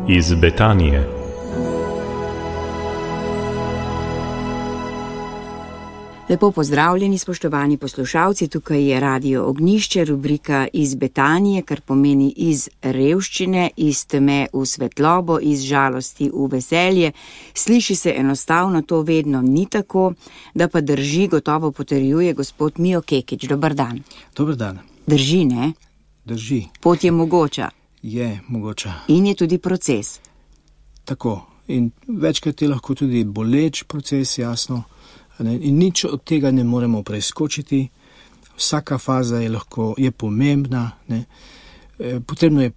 iz Betanije. Lepo pozdravljeni, spoštovani poslušalci, tukaj je Radio Ognjišče, rubrika Iz Betanije, kar pomeni iz revščine, iz teme v svetlobo, iz žalosti v veselje. Sliši se enostavno, to vedno ni tako, da pa drži, gotovo potrjuje gospod Mijo Kekič. Dobar dan. Dobar dan. Drži, ne? Drži. Pot je mogoča. Je mogoča. In je tudi proces. Tako. In večkrat je lahko tudi boleč proces, jasno. In nič od tega ne moremo preskočiti. Vsaka faza je pomembna. Ne. Potrebno je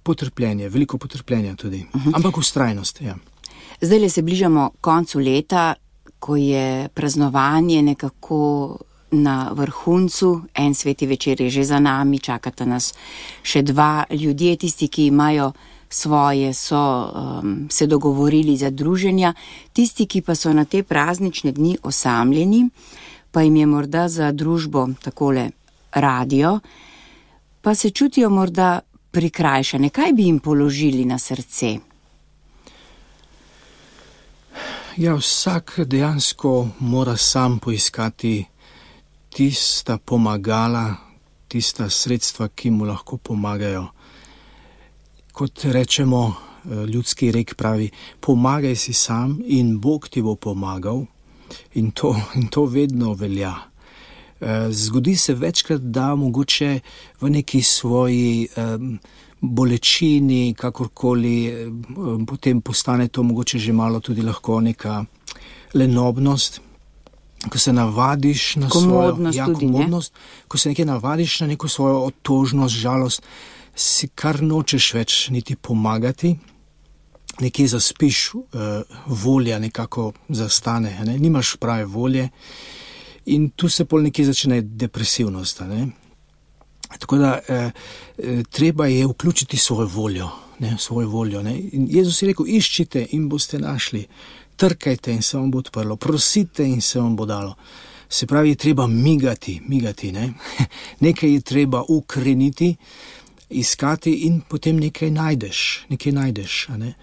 potrpljenje, veliko potrpljenja tudi. Ampak vztrajnost, ja. Zdaj se bližamo koncu leta, ko je praznovanje nekako na vrhuncu. En sveti večer je že za nami, čakata nas še 2 ljudje, tisti, ki imajo svoje, so se dogovorili za druženja, tisti, ki pa so na te praznične dni osamljeni, pa jim je morda za družbo takole radio, pa se čutijo morda prikrajšane. Kaj bi jim položili na srce? Ja, vsak dejansko mora sam poiskati tista pomagala, tista sredstva, ki mu lahko pomagajo. Kot rečemo, ljudski rek pravi, pomagaj si sam in Bog ti bo pomagal, in to vedno velja. Zgodi se večkrat, da mogoče v neki svoji bolečini, kakorkoli, potem postane to mogoče že malo tudi lahko neka lenobnost, ko se navadiš na komodnost, ko se nekaj navadiš na neko svojo otožnost, žalost, si kar nočeš več niti pomagati, nekje zaspiš, volja nekako zastane, ne? Nimaš prave volje in tu se pol nekje začne depresivnost. Ne? Tako da treba je vključiti svojo voljo. Ne? In Jezus je rekel, iščite in boste našli, trkajte in se vam bo odprlo, prosite in se vam bo dalo. Se pravi, je treba migati, ne? Nekaj je treba ukreniti, iskati in potem nekaj najdeš. Ne?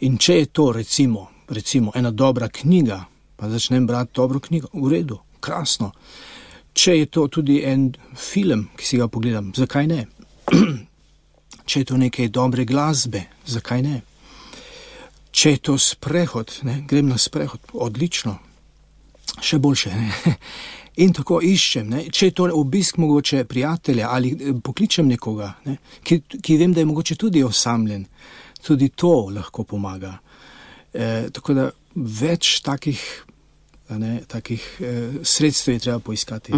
In če je to recimo ena dobra knjiga, pa začnem brati dobro knjigo, v redu, krasno. Če je to tudi en film, ki si ga pogledam, zakaj ne? Če je to nekaj dobre glasbe, zakaj ne? Če je to sprehod, ne? Grem na sprehod, odlično, še boljše, ne? In tako iščem, ne? Če je to obisk mogoče prijatelja ali pokličem nekoga, ne? Ki vem, da je mogoče tudi osamljen, tudi to lahko pomaga. Tako da več takih sredstev je treba poiskati.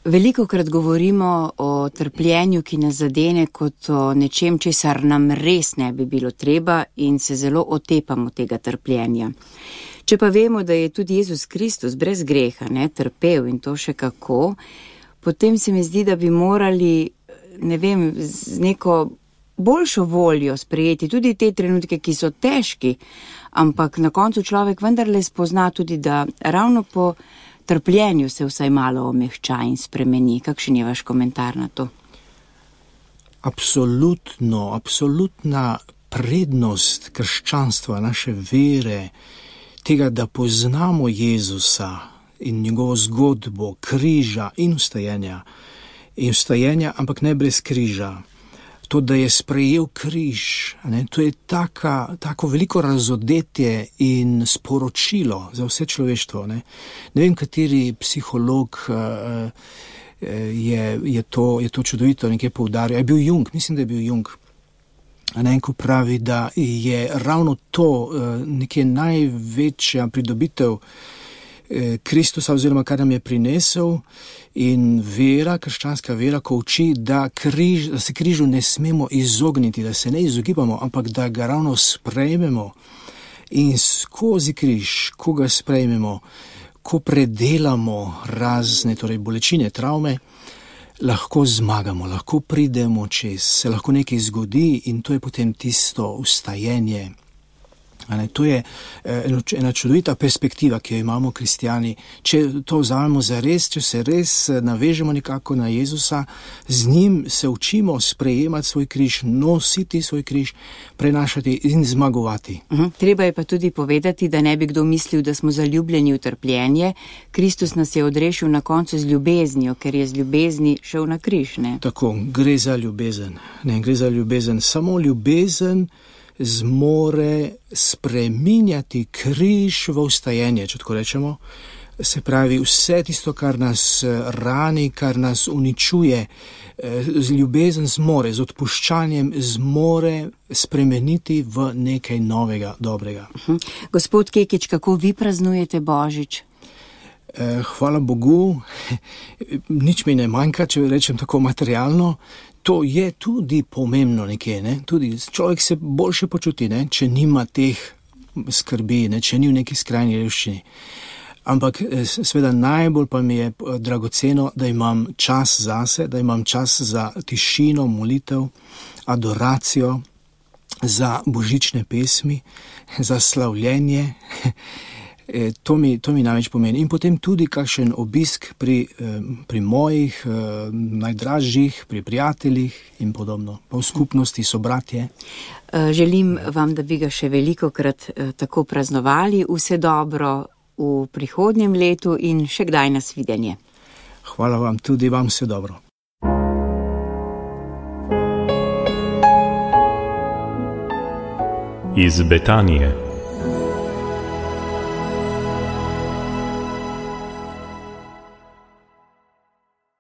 Velikokrat govorimo o trpljenju, ki nas zadene, kot o nečem, česar nam res ne bi bilo treba, in se zelo otepamo tega trpljenja. Če pa vemo, da je tudi Jezus Kristus brez greha, ne, trpel, in to še kako, potem se mi zdi, da bi morali, ne vem, z neko boljšo voljo sprejeti tudi te trenutke, ki so težki, ampak na koncu človek vendarle spozna tudi, da ravno po trpljenju se vsaj malo omehča in spremeni. Kakšen je vaš komentar na to? Absolutna prednost krščanstva, naše vere, tega, da poznamo Jezusa in njegovo zgodbo, križa in vstajenja, ampak ne brez križa. To, da je sprejel križ, ne, to je tako veliko razodetje in sporočilo za vse človeštvo. Ne vem, kateri psiholog je to čudovito nekaj poudaril. Je bil Jung, mislim, da je bil Jung. Ko pravi, da je ravno to nekaj največja pridobitev Kristusa, oziroma kar nam je prinesel, in vera, krščanska vera, ko uči, da se križu ne smemo izogniti, da se ne izogibamo, ampak da ga ravno sprejmemo. In skozi križ, ko ga sprejmemo, ko predelamo razne bolečine, travme, lahko zmagamo, lahko pridemo čez, se lahko nekaj zgodi in to je potem tisto vstajenje, To je ena čudovita perspektiva, ki jo imamo kristijani. Če to vzamemo za res, če se res navežemo nekako na Jezusa, z njim se učimo sprejemati svoj križ, nositi svoj križ, prenašati in zmagovati. Treba je pa tudi povedati, da ne bi kdo mislil, da smo zaljubljeni v trpljenje. Kristus nas je odrešil na koncu z ljubeznijo, ker je z ljubezni šel na križ, ne? Tako, gre za ljubezen. Ne, gre za ljubezen. Samo ljubezen zmore spreminjati križ v vstajenje, če tako rečemo. Se pravi, vse tisto, kar nas rani, kar nas uničuje, ljubezen zmore, z odpuščanjem zmore spremeniti v nekaj novega, dobrega. Gospod Kekič, kako vi praznujete Božič? Hvala Bogu, nič mi ne manjka, če rečem tako materialno. To je tudi pomembno nekje, ne? Tudi človek se boljše počuti, ne? Če nima teh skrbi, ne? Če ni v neki skrajni revščini. Ampak seveda najbolj pa mi je dragoceno, da imam čas zase, da imam čas za tišino, molitev, adoracijo, za božične pesmi, za slavljenje. To mi največ pomeni. In potem tudi kakšen obisk pri mojih najdražjih, pri prijateljih in podobno. Pa v skupnosti sobratje. Želim vam, da bi ga še velikokrat tako praznovali. Vse dobro v prihodnjem letu in še kdaj nasvidenje. Hvala vam, tudi vam vse dobro. Iz Betanije.